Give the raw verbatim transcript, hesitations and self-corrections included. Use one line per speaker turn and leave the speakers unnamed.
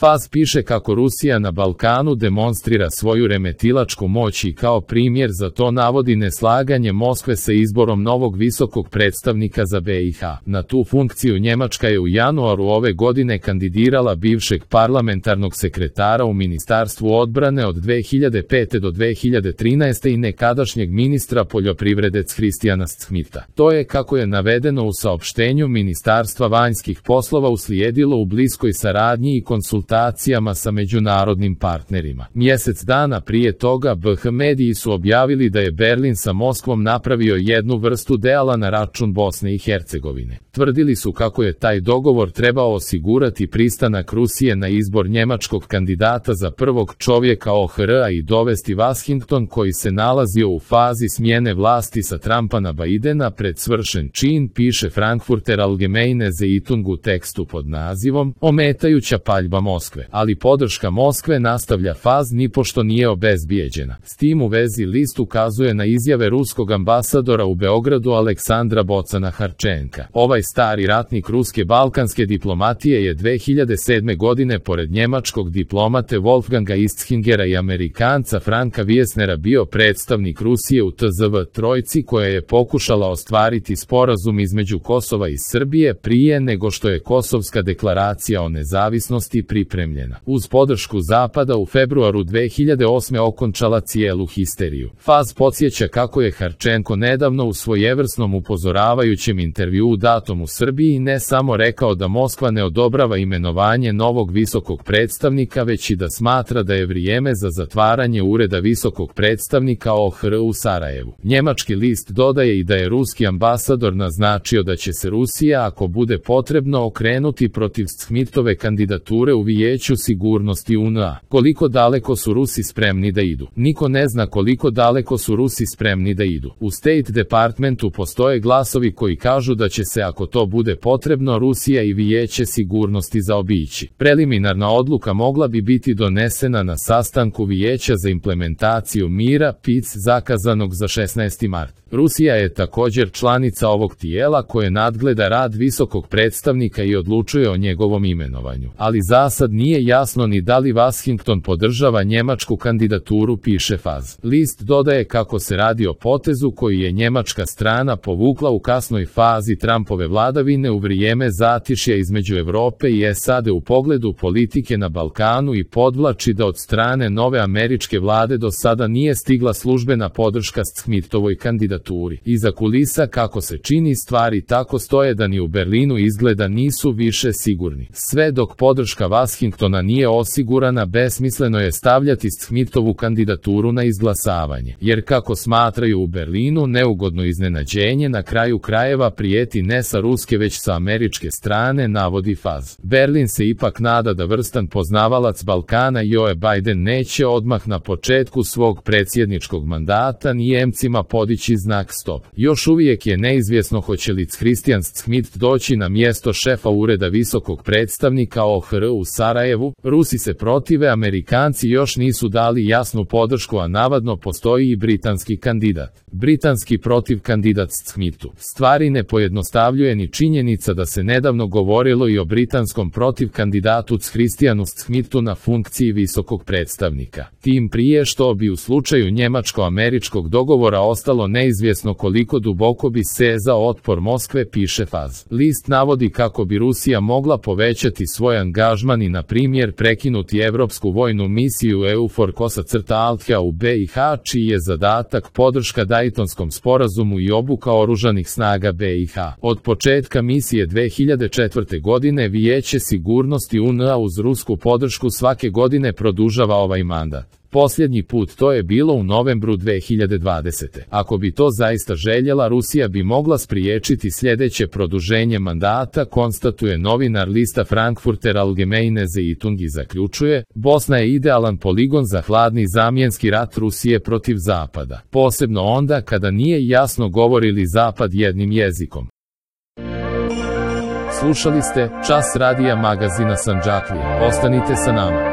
Faz piše kako Rusija na Balkanu demonstrira svoju remetilačku moć i kao primjer za to navodi neslaganje Moskve sa izborom novog visokog predstavnika za B i H. Na tu funkciju Njemačka je u januaru ove godine kandidirala bivšeg parlamentarnog sekretara u Ministarstvu odbrane od dve hiljade pete do dve hiljade trinaeste i nekadašnjeg ministra poljoprivrede Christiana Schmidta. To je, kako je navedeno u saopštenju Ministarstva vanjskih poslova, uslijedilo u bliskoj saradnji i konsultacijama sa međunarodnim partnerima. Mjesec dana prije toga B H mediji su objavili da je Berlin sa Moskvom napravio jednu vrstu deala na račun Bosne i Hercegovine. Tvrdili su kako je taj dogovor trebao osigurati pristanak Rusije na izbor njemačkog kandidata za prvog čovjeka O H R-a i dovesti Washington, koji se nalazio u fazi smjene vlasti sa Trumpa na Bidena, pred svršen čin, piše Frankfurter Allgemeine Zeitung u tekstu pod nazivom "Ometajuća paljba Moskve", ali podrška Moskve, nastavlja Faz, nipošto nije obezbijeđena. S tim u vezi list ukazuje na izjave ruskog ambasadora u Beogradu Aleksandra Bocana Harčenka. Ovaj stari ratnik ruske balkanske diplomatije je dve hiljade sedme godine pored njemačkog diplomate Wolfganga Istzingera i Amerikanca Franka Wiesnera bio predstavnik Rusije u T Z V trojci, koja je pokušala ostvariti sporazum između Kosova i Srbije prije nego što je Kosovska deklaracija o nezavisnosti pripremljena. Uz podršku Zapada u februaru dve hiljade osme okončala cijelu histeriju. Faz podsjeća kako je Harčenko nedavno u svojevrsnom upozoravajućem intervjuu datom u Srbiji ne samo rekao da Moskva ne odobrava imenovanje novog visokog predstavnika, već i da smatra da je vrijeme za zatvaranje ureda visokog predstavnika O H R u Sarajevu. Njemački list dodaje i da je ruski ambasador naznačio da će se Rusija, ako bude potrebno, okrenuti protiv Schmidtove kandidature u Vijeću sigurnosti U N A. Koliko daleko su Rusi spremni da idu? Niko ne zna koliko daleko su Rusi spremni da idu. U State Departmentu postoje glasovi koji kažu da će se, ako to bude potrebno, Rusija i Vijeće sigurnosti zaobići. Preliminarna odluka mogla bi biti donesena na sastanku Vijeća za implementaciju mira P I C zakazanog za šesnaesti mart. Rusija je također članica ovog tijela koje nadgleda rad visokog predstavnika i odlučuje o njegovom imenovanju. Ali zasad nije jasno ni da li Washington podržava njemačku kandidaturu, piše Faz. List dodaje kako se radi o potezu koji je njemačka strana povukla u kasnoj fazi Trumpove vladavine u vrijeme zatišja između Europe i S A D u pogledu politike na Balkanu i podvlači da od strane nove američke vlade do sada nije stigla službena podrška Schmidtovoj kandidaturi. Iza kulisa, kako se čini, stvari tako stoje da ni u Berlinu izgleda nisu više sigurni. Sve dok podrška Washingtona nije osigurana, besmisleno je stavljati Schmidtovu kandidaturu na izglasavanje, jer kako smatraju u Berlinu, neugodno iznenađenje na kraju krajeva prijeti ne sa ruske već sa američke strane, navodi Faz. Berlin se ipak nada da vrstan poznavalac Balkana Joe Biden neće odmah na početku svog predsjedničkog mandata Nijemcima podići znak stop. Još uvijek je neizvjesno hoće li Christian Schmidt doći na mjesto šefa ureda visokog predstavnika O H R u Sarajevu. Rusi se protive, Amerikanci još nisu dali jasnu podršku, a navadno postoji i britanski kandidat. Britanski protiv kandidat Schmidtu. Stvari ne pojednostavljuje ni činjenica da se nedavno govorilo i o britanskom protiv kandidatu Christianu Schmidtu na funkciji visokog predstavnika. Tim prije što bi u slučaju njemačko-američkog dogovora ostalo neizvjesno koliko duboko bi sezao otpor Moskve, piše Faz. List navodi kako bi Rusija mogla povećati svoj angažman i, na primjer, prekinuti evropsku vojnu misiju EUFOR Kosa-Althea u B i H, čiji je zadatak podrška Daytonskom sporazumu i obuka oružanih snaga B i H. Od početka misije dve hiljade četvrte. godine Vijeće sigurnosti U N A uz rusku podršku svake godine produžava ovaj mandat. Posljednji put to je bilo u novembru dve hiljade dvadesete. Ako bi to zaista željela, Rusija bi mogla spriječiti sljedeće produženje mandata, konstatuje novinar lista Frankfurter Allgemeine Zeitung i zaključuje: Bosna je idealan poligon za hladni zamjenski rat Rusije protiv Zapada. Posebno onda kada nije jasno govori li Zapad jednim jezikom. Slušali ste Čas radija magazina Sandžaklije. Ostanite sa nama.